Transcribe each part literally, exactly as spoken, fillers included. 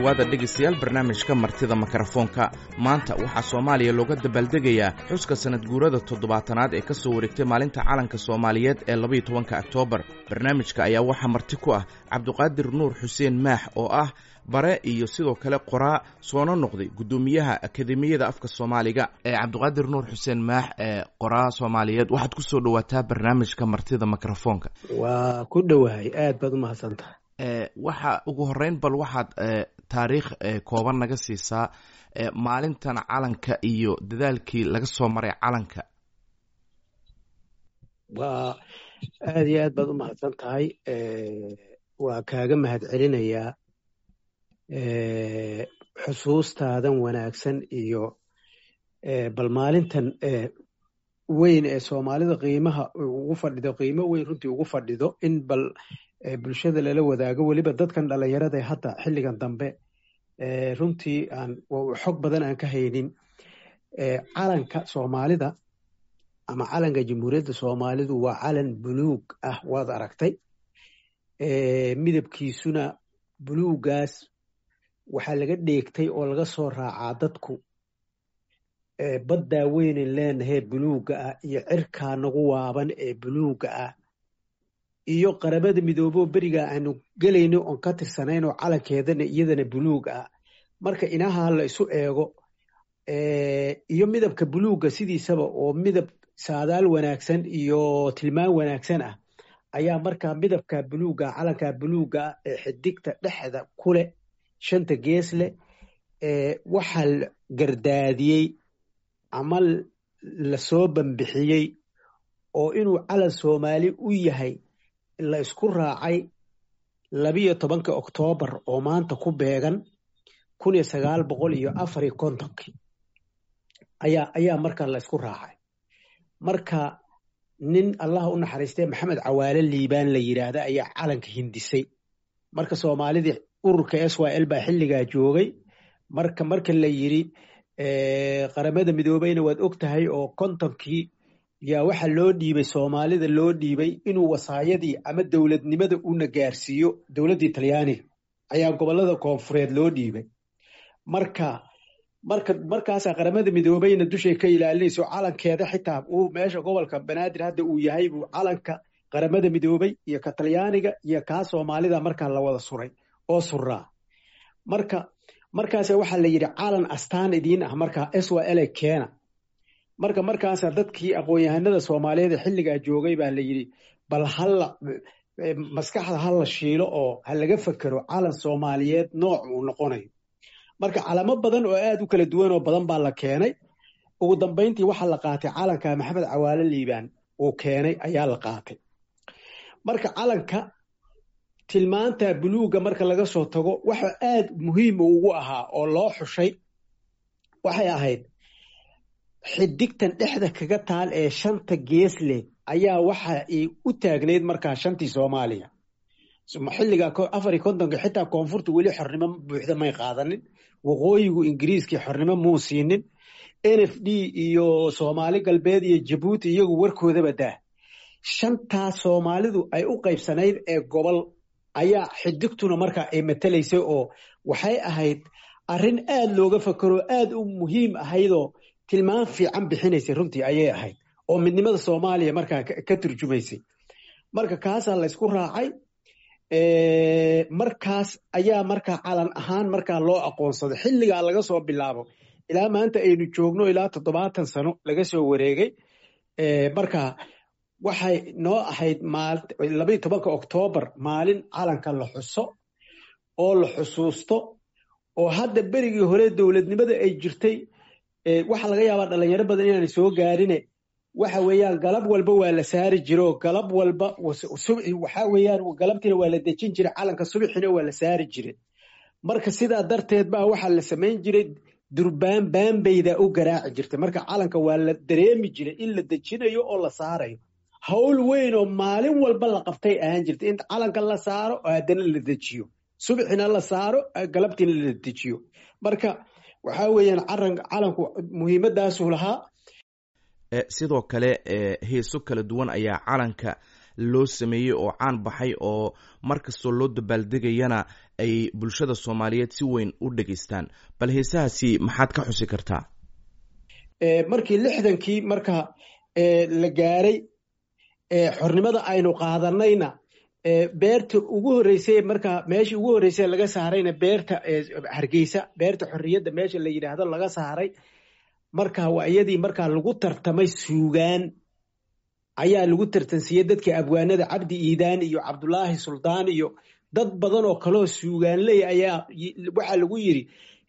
Dhowaada dhegaystayaal barnaamijka Martida Mikrofoonka. Maanta waxaa Soomaaliya looga dabaaldegayaa xuska sanad guurada toddobaatanaad ee ka soo wareegtay maalinta calanka soomaaliyeed ee labaiyo tobanka Oktoobar. Barnaamijka ayaa waxaa marti ku ah Cabdiqaadir Nuur Xuseen Maax, oo ah bare iyo sidoo kale qoraa, soona noqday guddoomiyaha Akademiyada Afka Soomaaliga. Cabdiqaadir Nuur Xuseen Maax, ee qoraa soomaaliyeed, waxaad kusoo dhawaataa barnaamijka Martida Mikrofoonka. Waa ku dhowahay, aad baad umahadsantahay. Waxa ugu horeyn bal waxaad taariikh kooban naga siisaa maalintan calanka iyo dadaalkii laga soo maray calanka. Waa aad iyo aad baad umahadsan tahay, waa kaaga mahad celinayaa xusuustaadan wanaagsan iyo bal maalintan weyn ee Soomaalida qiimaha ugu fadhido, qiimo weyn runtii ugu fadhido, in bal bulshada lala wadaago, weliba dadkan dhalinyarada ee hadda xilligan dambe runtii aan xog badan aan ka haynin calanka Soomaalida ama calanka Jamhuuriyadda Soomaalidu. Waa calan buluug ah, waad aragtay, midabkiisuna buluugaas waxaa laga dheegtay oo laga soo raacaa dadku baddaa weynen leenahee buluugga ah iyo cirkaa nagu waaban ee buluugga ah iyo Qaramada Midooboo berigaa aanu gelayno oon ka tirsanayn oo calankeedana iyadana buluug ah. Marka inaha la isu eego iyo midabka buluugga sidiisaba oo midab saadaal wanaagsan iyo tilmaan wanaagsan ah, ayaa markaa midabka buluugga, calanka buluugga ah ee xidigta dhexda ku leh shanta gees leh, waxaa la gardaadiyey ama lasoo bambixiyey oo inuu calan Soomaali u yahay la isku raacay labiyo tobanka Oktoobar oo maanta ku beegan kun iyo sagaal boqol iyo afar iyo kontonkii ayaa ayaa markaa la isku raacay. Marka nin Allah u naxariistay Maxamed Cawaale Liibaan la yidhaahda ayaa calanka hindisay. Marka Soomaalidii ururka S Y L baa xilligaa joogay. Marka marka la yiri Qaramada Midoobeyna, waad og tahay oo kontonkii yaa waxa loo dhiibay Soomaalida, loo dhiibay inuu wasaayadii ama dowladnimada una gaarsiiyo dowladdii Talyaaniga ayaa gobolada koonfureed loo dhiibay. Marka marka markaasaa Qaramada Midoobeyna dushay ka ilaalinayso calankeeda, xitaa uu meesha gobolka Banaadir hadda uu yahay buu calanka Qaramada Midoobey iyo ka Talyaaniga iyo kaa Soomaalida markaa la wada suray oo suraa. Marka markaasa waxaa la yidhi calan astaan idiin ah markaa S Y L keena. Marka markaasaa dadkii aqoon-yahanada Soomaaliyeed ee xilligaa joogay baa la yidhi bal hala maskaxda hala shiilo oo ha laga fekero calan Soomaaliyeed nooc uu noqonayo. Marka calamo badan oo aad u kala duwan oo badan baa la keenay. Ugu dambeyntii waxaa la qaatay calanka Maxamed Cawaale Liibaan uu keenay ayaa la qaatay. Marka calanka tilmaanta buluugga marka laga soo tago, waxa aad muhiim ugu ahaa oo loo xushay waxay ahayd xidigtan dhexda kaga taal ee shanta gees leh ayaa waxa ay u taagnayd markaa shantii Soomaaliya. Xilliga afar iyo kontonka xitaa koonfurta weli xornimo buuxda may qaadanin, waqooyigu Ingiriiskii xornimo muu siinin, N F D iyo Soomaali Galbeed iyo Jabuuti iyagu warkoodaba daa. Shantaas Soomaalidu ay u qaybsanayd ee gobol ayaa xidigtuna markaa ay matalaysay, oo waxay ahayd arrin aad looga fakero, aad u muhiim ahaydoo tilmaan fiican bixinaysay runtii ayay ahayd, oo midnimada Soomaaliya markaa ka turjumaysay. Marka kaasaa la ysku raacay, markaas ayaa markaa calan ahaan markaa loo aqoonsaday. Xilligaa laga soo bilaabo ilaa maanta aynu joogno, ilaa toddobaatan sano laga soo wareegay, marka waxay noo ahayd labaiyo tobanka Oktoobar maalin calanka la xuso oo la xusuusto. Oo hadda berigii hore dowladnimada ay jirtay, waxaa laga yaabaa dhalinyaro badan inaanay soo gaarine, waxa weeyaan galab walba waa la saari jiro, galab walba subxi waxa weeyaan galabtiina waa la dejin jiray calanka, subaxina waa la saari jiray. Marka sidaa darteed baa waxaa la samayn jiray durbaan baanbayda u garaaci jirtay. Marka calanka waa la dareemi jiray in la dejinayo oo la saarayo. Hawl weyn oo maalin walba la qabtay ahaan jirtay in calanka la saaro oo haddana la dejiyo, subaxina la saaro, galabtiina la dejiyo. Marka waxaa weeyaan calanku muhiimadaasuu lahaa. Sidoo kale heeso kala duwan ayaa calanka loo sameeyey oo caan baxay oo mar kastoo loo dabaaldegayana ay bulshada Soomaaliyeed si weyn u dhegaystaan. Bal heesahaasi maxaad ka xusi kartaa? Markii lixdankii marka la gaaray xornimada aynu qaadanayna, beerta ugu horreysay, marka meeshii ugu horreysay laga saarayna beerta Hargeysa, Beerta Xorriyadda meesha la yidhaahdo laga saaray. Marka waa iyadii markaa lagu tartamay, suugaan ayaa lagu tartansiiyey dadkii abwaanada, Cabdi Iidaan iyo Cabdulaahi Suldaan iyo dad badan oo kaloo suugaanley ayaa waxaa lagu yidhi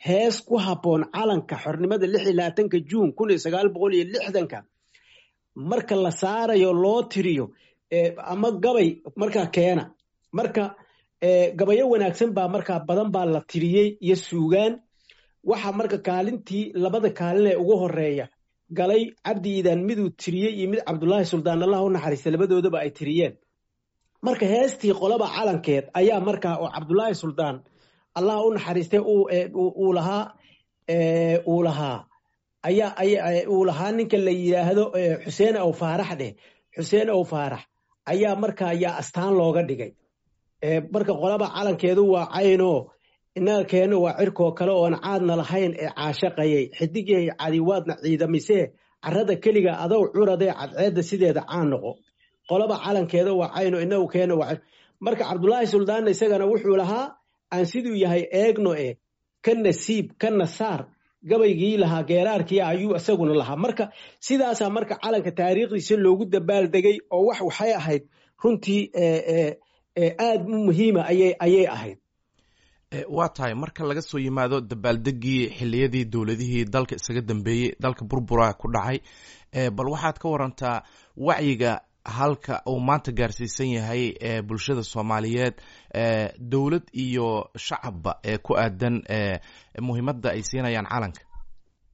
hees ku habboon calanka xornimada lix iyo labaatanka Juun kun iyo sagaal boqol iyo lixdanka marka la saarayo loo tiriyo ama gabay markaa keena. Marka gabayo wanaagsan baa markaa badan baa la tiriyey iyo suugaan. Waxaa marka kaalintii, labada kaalin ee ugu horeeya galay Cabdi Iidaan miduu tiriyey iyo mid Cabdulaahi Suldaan, Allah u naxariista, labadoodaba ay tiriyeen. Marka heestii Qolaba Calankeed ayaa markaa oo Cabdulaahi Suldaan, Allah u naxariistay, uu lahaa uu lahaa ayaa uu lahaa ninka la yidhaahdo Xuseen Aw Faarax dheh, Xuseen Aw Faarax ayaa markaa ayaa astaan looga dhigay. Marka qolaba calankeedu waa caynoo, innaga keeno waa cirkoo kale oon caadna lahayn ee caashaqayay, xidigyahay cadiwaadna ciidamisee, carrada keliga adow curadee, cadceedda sideeda caan noqo. Qolaba calankeeda waa cayno, inagu keeno waa. Marka Cabdulaahi Suldaanna isagana wuxuu lahaa aan siduu yahay eegno e ka nasiib ka nasaar, gabaygii lahaa geeraarkii ayuu isaguna lahaa. Marka sidaasaa marka calanka taariikhdiisa loogu dabaaldegay oo wax waxay ahayd runtii aad u muhiima ayay ayay ahayd. Waa tahay, marka laga soo yimaado dabaaldegii xilliyadii dowladihii dalka isaga dambeeyey, dalka burbura ku dhacay, bal waxaad ka warantaa wacyiga halka uu maanta gaarsiisan yahay bulshada Soomaaliyeed, dowlad iyo shacabba, ee ku aadan muhiimadda ay siinayaan calanka.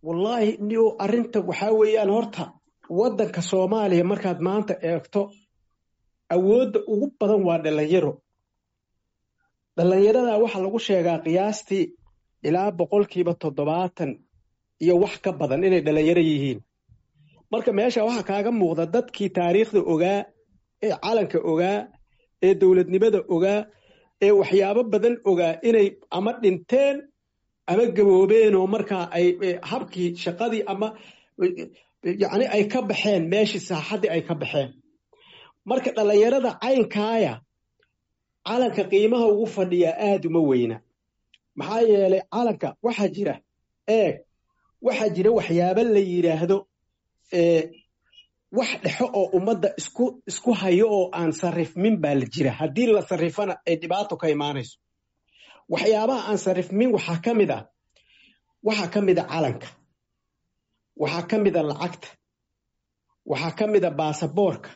Wallaahi nio, arrinta waxaa weeyaan horta waddanka Soomaaliya markaad maanta eegto, awoodda ugu badan waa dhalinyaro. Dhalinyarada waxaa lagu sheegaa qiyaastii ilaa boqolkiiba toddobaatan iyo wax ka badan inay dhalinyaro yihiin. Marka meesha waxaa kaaga muuqda dadkii taariikhda ogaa ee calanka ogaa ee dowladnimada ogaa ee waxyaabo badan ogaa inay ama dhinteen ama gaboobeen, oo markaa ay habkii shaqadii ama yacni ay ka baxeen meeshii, saaxaddii ay ka baxeen. Marka dhalinyarada caynkaaya calanka qiimaha ugu fadhiyaa aada uma weyna. Maxaa yeelay calanka waxaa jira, eeg, waxaa jira waxyaabo la yidhaahdo wax dhexo oo ummadda isku isku hayo oo aan sarrifmin baa la jira, haddii la sarrifana ay dhibaato ka imaanayso. Waxyaabaha aan sarrifmin waxaa ka mid ah waxaa ka mid a calanka, waxaa ka mid a lacagta, waxaa ka mid a baasaboorka.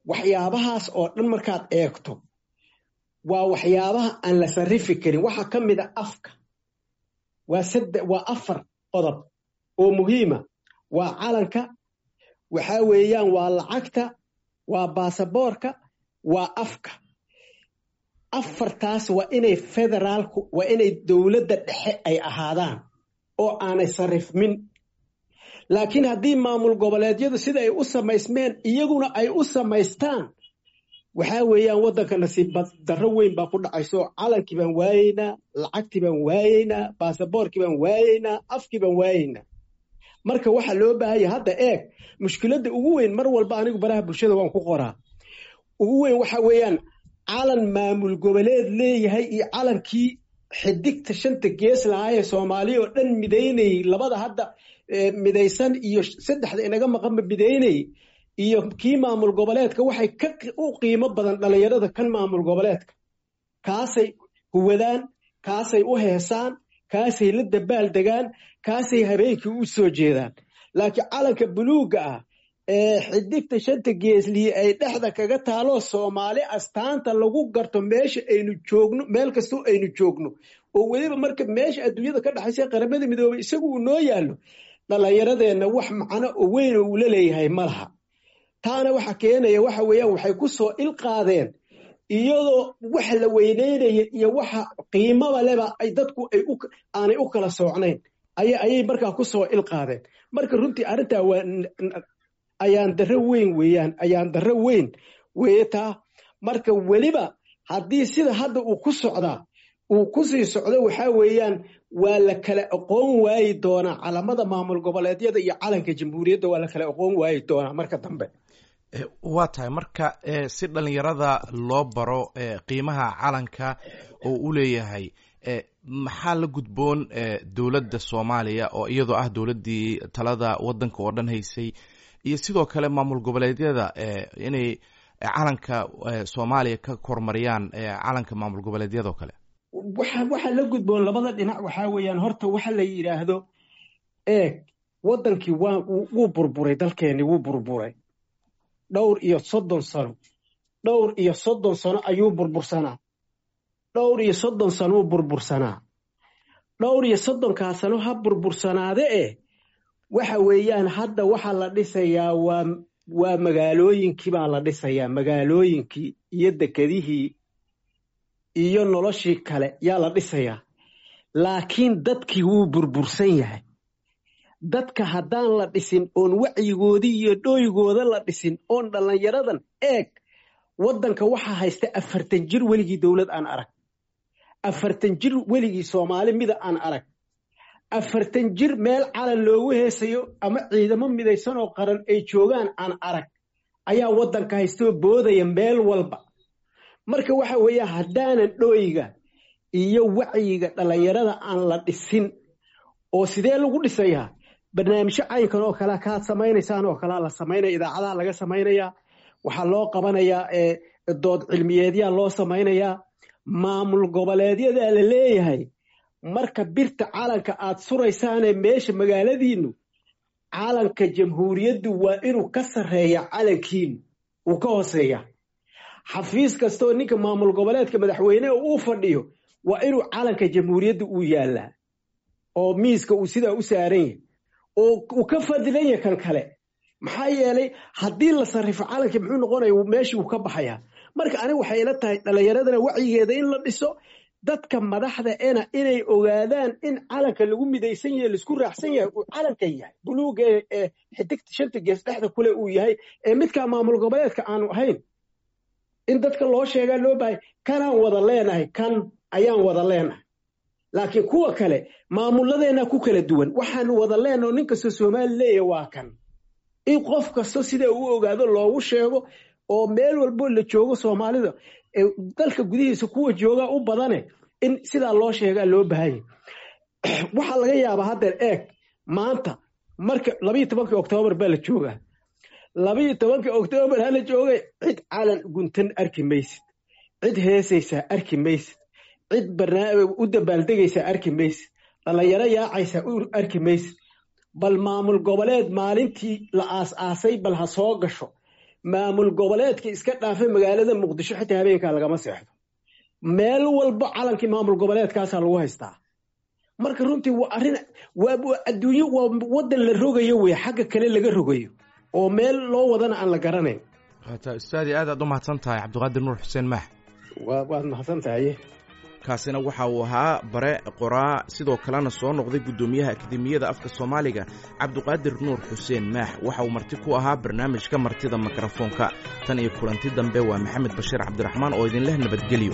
Waxyaabahaas oo dhan markaad eegto waa waxyaabaha aan la sarrifi karin. Waxaa ka mid a afka. Waa sadde, waa afar qodob oo muhiima: waa calanka, waxaa weeyaan waa lacagta, waa baasaboorka, waa afka. Afartaas waa inay federaalku, waa inay dowladda dhexe ay ahaadaan oo aanay sarrifmin. Laakiin haddii maamul goboleedyadu sida ay u samaysmeen iyaguna ay u samaystaan, waxaa weeyaan waddanka nasiib darro weyn baa ku dhacayso. Calankii baan waayeynaa, lacagtii baan waayeynaa, baasaboorkii baan waayeynaa, afkii baan waayeynaa. Marka waxaa loo baahanya hadda, eeg, mushkiladda ugu weyn mar walba anigu baraha bulshada waan ku qoraa, ugu weyn waxa weeyaan calan maamul goboleed leeyahay iyo calankii xidigta shanta gees lahaayee Soomaaliya oo dhan midaynayey, labada hadda midaysan iyo saddexda inaga maqanba midaynayey, iyo kii maamul goboleedka, waxay ka u qiimo badan dhalinyarada kan maamul goboleedka. Kaasay huwadaan, kaasay u heesaan, kaasay la dabaal degaan, kaasay habeenkii u soo jeedaan. Laakiin calanka buluugga ah ee xidigta shanta geesliye ay dhexda kaga taalo, Soomaali astaanta lagu garto meesha aynu joogno, meel kastoo aynu joogno, oo weliba marka meesha adduunyada ka dhexaysa Qaramada Midoobay isagu uu noo yaallo, dhalinyaradeenna wax macno oo weyn oo uu la leeyahay ma laha. Taana waxa keenaya waxa weeyaan waxay ku soo ilqaadeen iyadoo waxa la weyneynaya iyo waxa qiimaba leba ay dadku ay aanay u kala soocnayn ayay ayay markaa ku soo ilqaadeen. Marka runtii arrintaa waa ayaan darro weyn weeyaan, ayaan darro weyn Weye taa marka weliba haddii sida hadda uu ku socdaa uu ku sii socdo, waxaa weeyaan waa la kala aqoon waayi doonaa calamada maamul goboleedyada iyo calanka jamhuuriyadda, waa la kala aqoon waayi doonaa marka dambe. Waa tahay. Marka si dhalinyarada loo baro qiimaha calanka oo u leeyahay, maxaa la gudboon dowladda Soomaaliya oo iyadoo ah dowladdii talada waddanka oo dhan haysay, iyo sidoo kale maamul goboleedyada, inay calanka Soomaaliya ka kormariyaan calanka maamul goboleedyada oo kale? Waxa waxaa la gudboon labada dhinac waxaa weeyaan, horta waxa la yidhaahdo, eeg, waddankii waa wuu burburay, dalkeenni wuu burburay dhowr iyo soddon sano, dhowr iyo soddon sano ayuu burbursanaa, dhowr iyo soddon sanouu burbursanaa, dhowr iyo soddonkaa sano ha burbursanaade. Eh, waxa weeyaan hadda waxaa la dhisayaa waa waa magaalooyinkii baa la dhisayaa, magaalooyinkii iyo dekedihii iyo noloshii kale yaa la dhisayaa, laakiin dadkii wuu burbursan yahay. Dadka haddaan la dhisin oon wacyigoodii iyo dhooygooda la dhisin oon dhallinyaradan, eeg, waddanka waxaa haysta afartan jir weligii dowlad aan arag, afartan jir weligii Soomaali mida aan arag, afartan jir meel calan loogu heesayo ama ciidamo midaysan oo qaran ay joogaan aan arag ayaa waddanka haystoo boodaya meel walba. Marka waxa weeye haddaanan dhooyga iyo wacyiga dhallinyarada aan la dhisin, oo sidee lagu dhisayaa? Barnaamijyo caynkan oo kalea kaad samaynaysaan oo kalea la samaynaya, idaacadaha laga samaynayaa, waxaa loo qabanayaa dood cilmiyeedyaa loo samaynayaa. Maamul goboleedyadaa la leeyahay, marka birta calanka aad suraysaane meesha magaaladiinnu, calanka jamhuuriyaddu waa inuu ka sarreeya calankiinu uu ka hooseeya. Xafiis kastoo ninka maamul goboleedka madaxweyneha uu fadhiyo waa inuu calanka jamhuuriyadda uu yaallaa oo miiska uu sidaa u saaran yahay oo uu ka fadilan yahay kan kale. Maxaa yeelay haddii la sarrifo calankii muxuu noqonaya? Meeshii uu ka baxayaa. Marka aniga waxay ila tahay dhallinyaradana wacyigeeda in la dhiso, dadka madaxda ena inay ogaadaan in calanka lagu midaysan yahay, laisku raacsan yahay, uu calankan yahay buluuga ee xidigta shanta gees dhexda kule uu yahay, ee midkaa maamul goboleedka aanu ahayn. In dadka loo sheegaa loo bahay kanaan wada leenahay, kan ayaan wada leenahay, laakiin kuwa kale maamuladeenna ku kala duwan. Waxaanu wada leenaho nin kastoo Soomaali leeyahay waa kan. In qof kasto sida uu ogaado loogu sheego oo meel walbo la joogo Soomaalida dalka gudihiisa kuwa joogaa u badane in sidaa loo sheegaa loo baahanya. Waxaa laga yaabaa haddeer, eeg, maanta marka labayo tobankii Oktoobar baa la joogaa, labayo tobankii Oktoobar hala joogay, cid calan guntan arki maysid, cid heesaysaa arki maysid, cid barnaamij u dabaaldegaysaa arki maysid, dhallinyaro yaacaysaa u arki maysid. Bal maamul goboleed maalintii la aas-aasay bal ha soo gasho. Maamul goboleedka iska dhaafay, magaalada Muqdisho xitaa habeenkaa lagama seexdo, meel walba calankii maamul goboleedkaasaa lagu haystaa. Marka runtii waa arrin waa adduunyo, waa waddan la rogayo wey, xagga kale laga rogayo oo meel loo wadana aan la garanayn. Waata ustaadi, aad aad u mahadsan tahay Cabdiqaadir Nuur Xuseen Maax. Waad mahadsan tahay. Kaasina waxa uu ahaa bare, qoraa, sidoo kalena soo noqday guddoomiyaha Akademiyada Afka Soomaaliga, Cabdiqaadir Nuur Xuseen Maax. Waxa uu marti ku ahaa barnaamijka Martida Mikrofoonka. Tan iyo kulanti dambe, waa Maxamed Bashiir Cabdiraxmaan oo idinleh nabadgelyo.